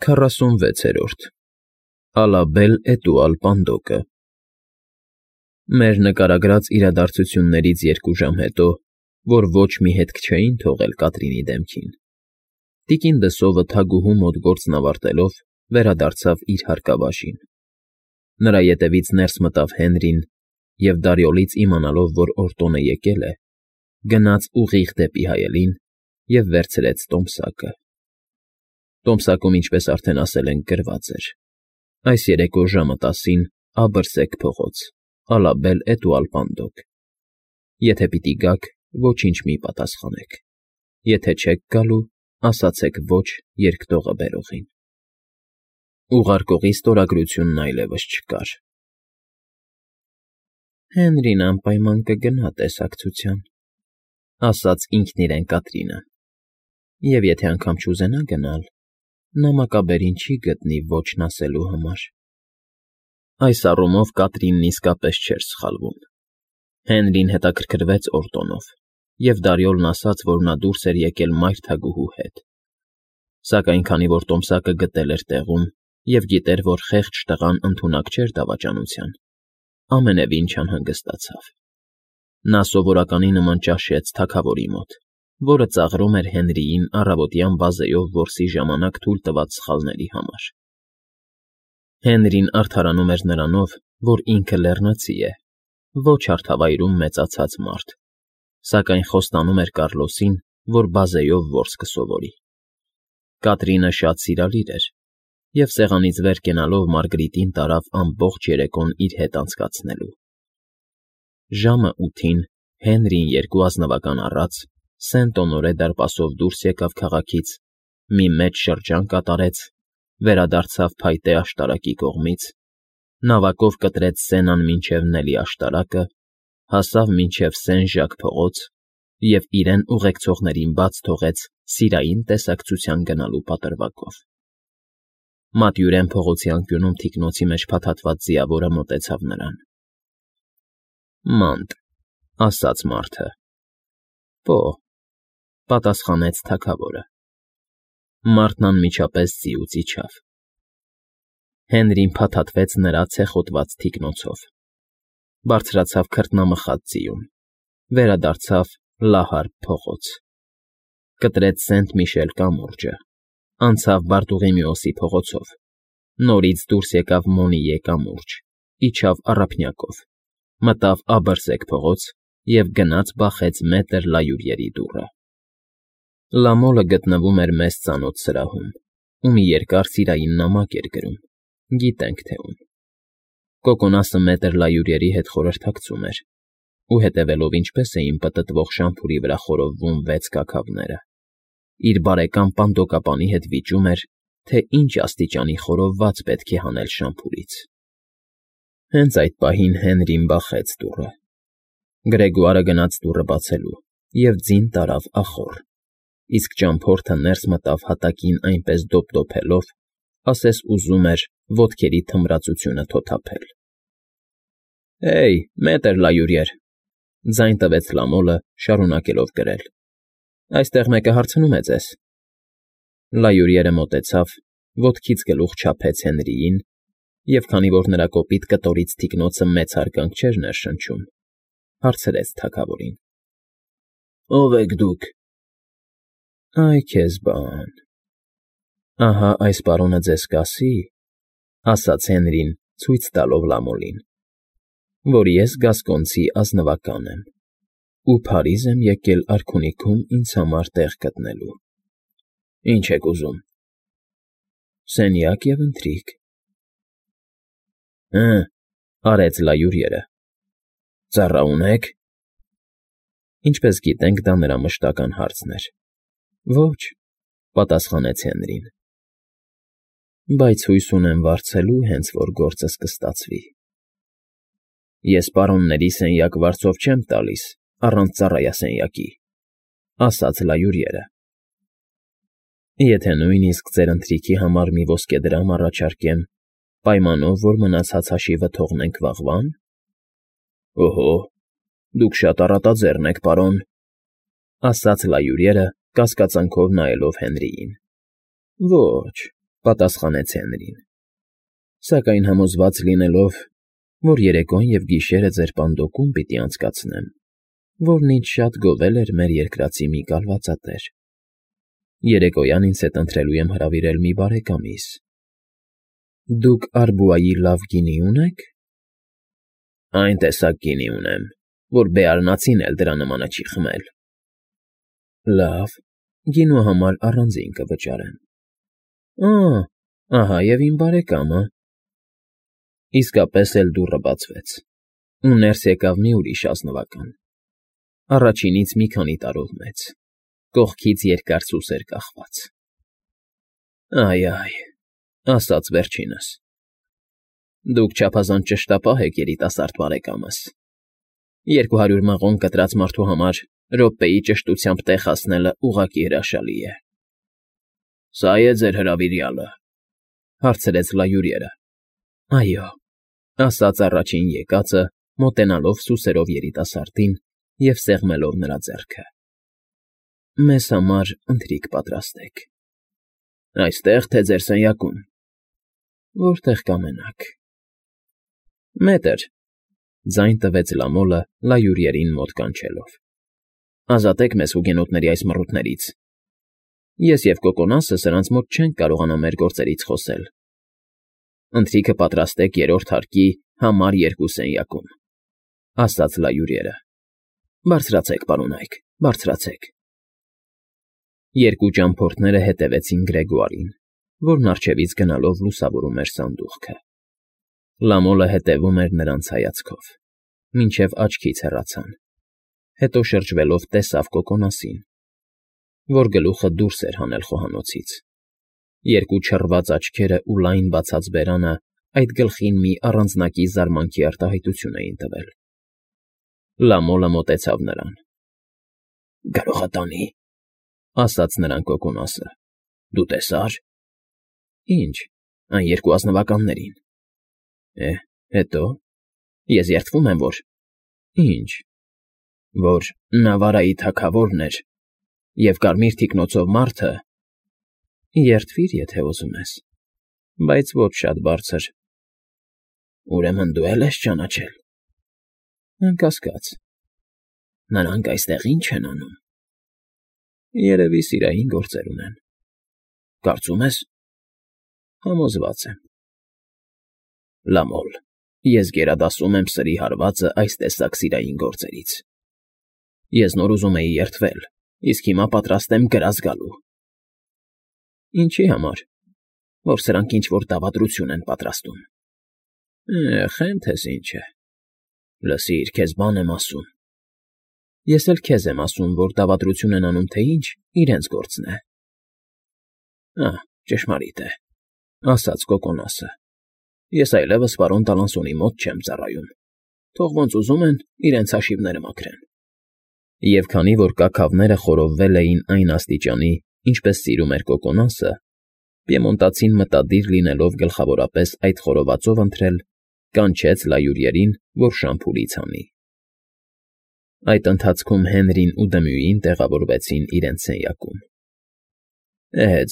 46-րդ Ալաբել Էտուալ Պանդոկը Մեր նկարագրած իրադարձություններից 2 ժամ հետո, որ ոչ մի հետք չէին թողել Կատրինի դեմքին, տիկին Դսովը թագուհու մոտ գործն ավարտելով վերադարձավ իր հարկավաշին. նրա ետևից ներս մտավ Հենրին և Դարիոլից իմանալով, որ Օրտոնը եկել է, գնաց ուղիղ դեպի հայելին և վերցրեց տոմսակը. Տոմսակում, ինչպես արդեն ասել ենք, գրված էր. այս երեկո ժամը 10-ին Աբրսեք փողոց, Ալաբել Էտուալ Պանդոկ. եթե պիտի գաք, ոչինչ մի պատասխանեք, եթե չեք գալու, ասացեք ոչ երկտողը բերողին. Ուղարկողի ստորագրությունն այլևս չկար։ Հենրին անպայման կգնա տեսակցության, ասաց ինքն իրեն Կատրինը, և եթե անգամ չուզենա գնալ, նամակաբերին չի գտնի ոչն ասելու համար։ Այս առումով Կատրինն իսկապես չէր սխալվում։ Հենրին հետաքրքրվեց Օրտոնով, և Դարիոլն ասաց, որ նա դուրս էր եկել մայր թագուհու հետ, սակայն քանի որ տոմսակը գտել էր տեղում և գիտեր, որ խեղճ տղան ընդունակ չէր դավաճանության, ամենևին չանհանգստացավ։ Նա սովորականի նման ճաշեց թագավորի մոտ, որը ծաղրում էր Հենրիին առավոտյան վազեով որսի ժամանակ թույլ տված սխալների համար։ Հենրին արդարանում էր նրանով, որ ինքը լեռնացի է, ոչ հարթավայրում մեծացած մարդ, սակայն խոստանում էր Կառլոսին, որ բազեով որս կսովորի։ Կատրինը շատ սիրալիր էր, և սեղանից վեր կենալով Մարգրիտին տարավ ամբողջ երեկոն իր հետ անցկացնելու։ Ժամը 8-ին Հենրին 2 ազնվական առած Սենտ֊Օնորե դարպասով դուրս եկավ քաղաքից, մի մեծ շրջան կատարեց, վերադարձավ փայտե աշտարակի կողմից, նավակով կտրեց Սենան մինչև Նելի աշտարակը, հասավ մինչև Սեն֊Ժակ փողոց և իրեն ուղեկցողներին բաց թողեց սիրային տեսակցության գնալու պատրվակով։ Մատյուրեն փողոցի անկյունում թիկնոցի մեջ փաթաթված ձիավորը մոտեցավ նրան։ Մանտ, ասաց մարդը։ Պո, պատասխանեց թագավորը։ Մարդն անմիջապես ձիուց իջավ։ Հենրին փաթաթվեց նրա ցեխոտված թիկնոցով, բարձրացավ քրտնամխած ձիուն, վերադարձավ Լահար փողոց, կտրեց Սենտ֊Միշել կամուրջը, անցավ Բարտուղիմեոսի փողոցով, նորից դուրս եկավ Մոնիե կամուրջ, իջավ Առափնյակով, մտավ Աբրսեք փողոց և գնաց բախեց մետր Լայուրիերի դուռը։ Լամոլը գտնվում էր մեզ ծանոթ սրահում, ու մի երկար սիրային նամակ էր գրում, գիտենք թե ում։ Կոկոնասը մետր Լայուրիերի հետ խորհրդակցում էր, ու հետևելով ինչպես էին պտտվող շամփուրի վրա խորովվում 6 կաքավները, իր բարեկամ Պանդոկապանի հետ վիճում էր, թե ինչ աստիճանի խորովված պետք է հանել շամփուրից։ Հենց այդ պահին Հենրին բախեց դուռը։ Գրեգոարը գնաց դուռը բացելու և ձին տարավ ախոռ, իսկ ճամփորդը ներս մտավ հատակին այնպես դոփդոփելով, ասես ուզում էր ոտքերի թմրածությունը թոթափել։ Հեյ, մետր Լայուրիեր, ձայն տվեց Լամոլը, շարունակելով գրել։ Այստեղ մեկը հարցնում է ձեզ։ Լայուրիերը մոտեցավ, ոտքից գլուխ չափեց Հենրիին, և քանի որ նրա կոպիտ կտորից թիկնոցը մեծ հարգանք չէր ներշնչում, հարցրեց թագավորին. Ո՞վ եք դուք։ Այ քեզ բան։ Ահա այս պարոնը ձեզ կասի, ասաց Հենրին, ցույց տալով Լամոլին, որ ես գասկոնցի ազնվական եմ ու Փարիզ եմ եկել արքունիքում ինձ համար տեղ գտնելու։ Ինչ եք ուզում։ Սենյակ և ընթրիք։ Արեց Լայուրիերը։ Ծառա ունե՞ք։ Ինչպես գիտենք, դա նրա մշտական հարցն էր։ Ոչ, պատասխանեց Հենրին։ Բայց հույս ունեմ վարձելու, հենց որ գործս կստացվի։ Ես պարոնների սենյակ վարձով չեմ տալիս, առանց ծառայասենյակի, ասաց Լայուրիերը։ Եթե նույնիսկ ձեր ընթրիքի համար մի ոսկեդրամ առաջարկեմ, պայմանով, որ մնացած հաշիվը թողնենք վաղվա՞ն։ Օհո, դուք շատ առատաձեռն եք, պարոն, ասաց Լայուրիերը, կասկածանքով նայելով Հենրիին։ Ոչ, Պատասխանեց Հենրին։ Սակայն համոզված լինելով, որ երեկոն և գիշերը ձեր պանդոկում պիտի անցկացնեմ, որն ինձ շատ գովել էր մեր երկրածի մի կալվածատեր, երեկոյան ինձ հետ ընթրելու եմ հրավիրել մի բարեկամիս։ Դուք Արբուայի լավ գինի ունե՞ք։ Այն տեսակ գինի ունեմ, որ բեարնացին էլ դրա նմանը չի խմել։ Լավ, գինու համար առանձին կվճարեմ։ Ահա և իմ բարեկամը։ Իսկապես էլ դուռը բացվեց, ու ներս եկավ մի ուրիշ ազնվական, առաջինից մի քանի տարով մեծ, կողքից երկար սուսեր կախված։ Այ, ասաց վերջինս, դուք չափազանց ճշտապահ եք, երիտասարդ բարեկամս, 200 մղոն կտրած մարդու համար րոպեի ճշտությամբ տեղ հասնելը ուղղակի հրաշալի է։ Սա՞ է ձեր հրավիրյալը, հարցրեց լայուրերը։ Այո, ասաց առաջին եկածը, մոտենալով սուսերով երիտասարդին և սեղմելով նրա ձեռքը։ Մեզ համար ընթրիք պատրաստեք։ Այստե՞ղ, թե ձեր սենյակում։ Որտեղ կամենաք։ Մետր, ձայն տվեց Լամոլը լայուրերին մոտ կանչելով։ Ազատեք մեզ հուգենոտների այս մռութներից։ Ես և Կոկոնասը սրանց մոտ չենք կարողանա մեր գործերից խոսել։ Ընթրիքը պատրաստեք երրորդ հարկի համար 2 սենյակում, ասաց լայուրերը։ Բարձրացեք, պարոնայք, բարձրացեք։ Երկու ճամփորդները հետևեցին Գրեգոարին, որն առջևից գնալով լուսավորում էր սանդուղքը։ Լամոլը հետևում էր նրանց հայացքով, մինչև աչքից հեռացան, հետո շրջվելով տեսավ Կոկոնասին, որ գլուխը դուրս էր հանել խոհանոցից։ Երկու չռված աչքերը ու լայն բացած բերանը այդ գլխին մի առանձնակի զարմանքի արտահայտություն էին տվել։ Լամոլը մոտեցավ նրան։ Գարողատանի, ասաց նրան Կոկոնասը։ Դու տեսա՞ր։ Ինչ, այն երկու ազնվականներին։ Հետո։ Ես երդվում եմ, որ… Ինչ։ Որ Նավարայի թագավորն էր և կարմիր թիկնոցով մարդը… Երդվիր, եթե ուզում ես, բայց ոչ շատ բարձր։ Ուրեմն դու էլ ես ճանաչել։ Անկասկած։ Նրանք այստեղ ի՞նչ են անում։ Երևի սիրային գործեր ունեն։ Կարծում ես։ Համոզված եմ։ Լամոլ, ես գերադասում եմ սրի հարվածը այս տեսակ սիրային գործերից։ Ես նոր ուզում էի երդվել, իսկ հիմա պատրաստ եմ կրակ գալու։ Ինչի համար։ Որ սրանք ինչ֊որ դավադրություն են պատրաստում։ Խենթես ինչ է։ Լսիր, քեզ բան եմ ասում։ Ես էլ քեզ եմ ասում, որ դավադրություն են անում, թե ինչ, իրենց գործն է։ Ճշմարիտ է, ասաց Կոկոնասը։ Ես այլևս պարոն Տալանսոնի մոտ չեմ ծառայում։ Թող ոնց ուզում են, իրենց հաշիվները մաքրեն։ Եվ քանի որ կաքավները խորովվել էին այն աստիճանի, ինչպես սիրում էր Կոկոնասը, պիեմոնտացին մտադիր լինելով գլխավորապես այդ խորովածով ընթրել, կանչեց լայուրերին, որ շամփուրից հանի։ Այդ ընթացքում Հենրին ու Դմյուին տեղավորվեցին իրենց սենյակում։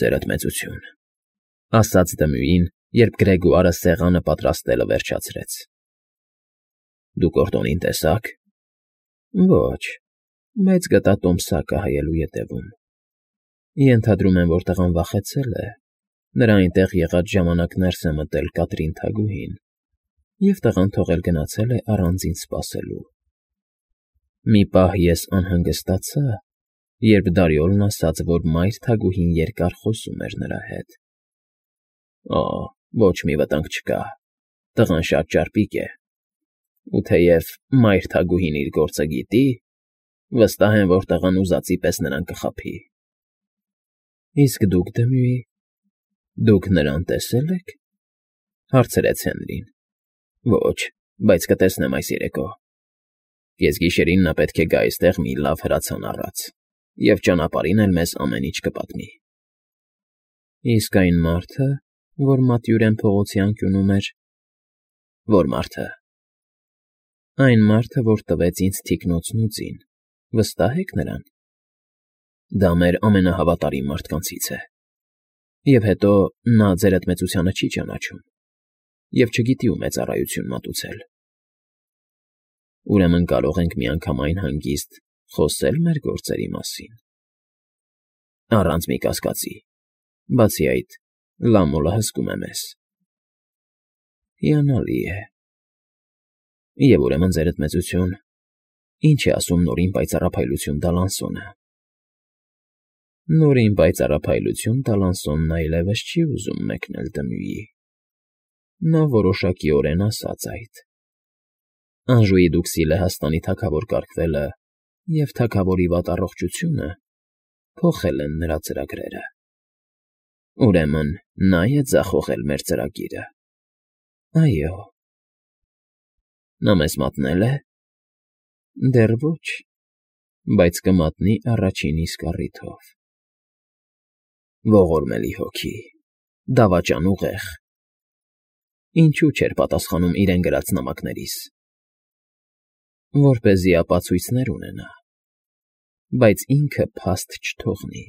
Ձերդ մեծություն, ասաց Դմյուին, երբ Գրեգոարը սեղանը պատրաստելը վերջացրեց։ Դուք Օրտոնին տեսա՞ք։ Ոչ, բայց գտա տոմսակը հայելու ետևում։ Ենթադրում եմ, որ տղան վախեցել է, նրա այնտեղ եղած ժամանակ ներս է մտել Կատրին թագուհին, և տղան թողել գնացել է առանձին սպասելու։ Մի պահ ես անհանգստացա, երբ Դարիոլն ասաց, որ մայր թագուհին երկար խոսում էր նրա հետ։ Ոչ մի վտանգ չկա, տղան շատ ճարպիկ է, ու թեև մայր թագուհին իր գործը գիտի, վստահ եմ, որ տղան ուզածի պես նրան կխաբի։ Իսկ դուք, Դմյուի, դուք նրան տեսե՞լ եք, հարցրեց Հենրին։ Ոչ, բայց կտեսնեմ այս երեկո։ Կեսգիշերին նա պետք է գա այստեղ մի լավ հրացան առած, և ճանապարհին էլ մեզ ամեն ինչ կպատմի։ Իսկ այն մարդը, որ Մատյուրեն փողոցի անկյունում էր… Որ մարդը։ Այն մարդը, որ տվեց ինձ թիկնոցն ու ձին, վստահ եք նրան։ Դա մեր ամենահավատարիմ մարդկանցից է։ Եվ հետո նա ձեր այդմեցությանը չի ճանաչում և չգիտի ում է ծառայություն մատուցել։ Ուրեմն կարող ենք միանգամայն հանգիստ խոսե՞լ մեր գործերի մասին, առանց մի կասկածի, բացի այդ, Լամոլը հսկում է մեզ։ Հիանալի է։ Եվ ուրեմն, ձեր այդմեցություն, ինչ է ասում նորին պայծառափայլություն Դալանսոնը։ Նորին պայծառափայլություն Դալանսոնն այլևս չի ուզում մեկնել Դմյուի։ Նա որոշակիորեն ասաց այդ։ Անժուի դուքսի լեհաստանի թագավոր կարգվելը և թագավորի վատ առողջությունը փոխել են նրա ծրագրերը։ Ուրեմն նա է ձախողել մեր ծրագիրը։ Այո։ Նա մեզ մատնել է։ Դեռ ոչ, բայց կմատնի առաջին իսկ առիթով։ Ողորմելի հոգի, դավաճան ուղեղ, ինչու չէր պատասխանում իրեն գրած նամակներիս, որպեսզի ապացույցներ ունենա, բայց ինքը փաստ չթողնի։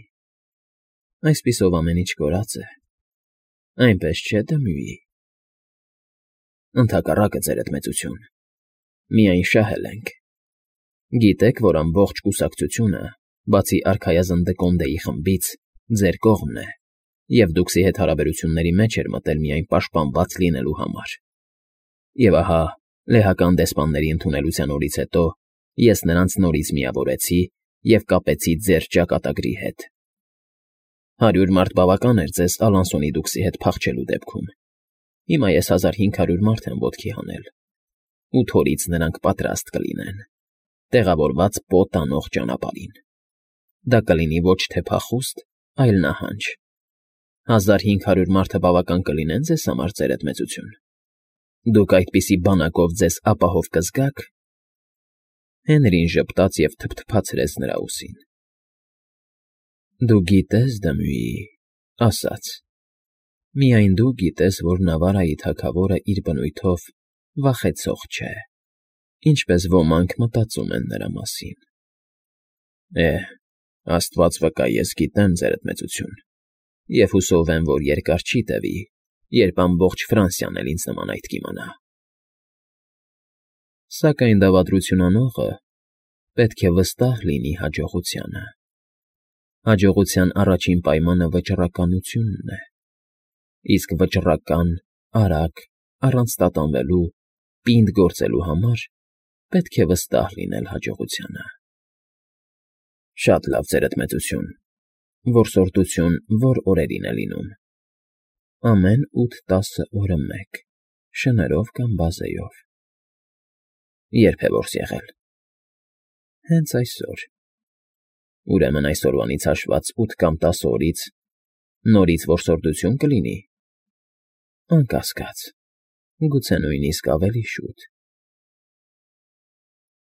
Այսպիսով ամեն ինչ կորած է, այնպես չէ՞ Դմյուի։ Ընդհակառակը, ձեր այդմեցություն, միայն շահել ենք։ Գիտեք, որ ամբողջ կուսակցությունը, բացի արքայազն Դկոնդեի խմբից, ձեր կողմն է, և դուքսի հետ հարաբերությունների մեջ էր մտել միայն պաշտպանված լինելու համար։ Եվ ահա, լեհական դեսպանների ընդունելության օրից հետո ես նրանց նորից միավորեցի և կապեցի ձեր ճակատագրի հետ։ 100 մարդ բավական էր ձեզ Ալանսոնի դուքսի հետ փախչելու դեպքում։ Հիմա ես 1500 մարդ եմ ոտքի հանել, ու թորից նրանք պատրաստ կլինեն, տեղավորված պոտ անող ճանապարհին։ Դա կլինի ոչ թե փախուստ, այլ նահանջ։ 1500 մարդը բավական կլինեն ձեզ համար, ձեր այդմեցություն։ Դուք այդպիսի բանակով ձեզ ապահով կզգա՞ք։ Հենրին ժպտաց և թփթփացրեց նրա ուսին։ Դու գիտես, Դմյուի, ասաց. միայն դու գիտես, որ Նավարայի թագավորը իր բնույթով վախեցող չէ, ինչպես ոմանք մտածում են նրա մասին։ Աստված վկա, ես գիտեմ, ձեր այդմեցություն, և հուսով եմ, որ երկար չի տևի, երբ ամբողջ Ֆրանսիան էլ ինձ նման այդ կիմանա։ Սակայն դավադրություն անողը պետք է վստահ լինի հաջողությանը։ Հաջողության առաջին պայմանը վճռականությունն է, իսկ վճռական, արագ, առանց տատանվելու, պինդ գործելու համար պետք է վստահ լինել հաջողությանը։ Շատ լավ, ձեր այդմեցություն, որսորդություն ո՞ր օրերին է լինում։ Ամեն 8-10 օրը մեկ, շներով կամ բազեով։ Ե՞րբ է որս եղել։ Հենց այսօր։ Ուրեմն այսօրվանից հաշված 8 կամ 10 օրից նորից որսորդություն կլինի։ Անկասկած, գուցե նույնիսկ ավելի շուտ։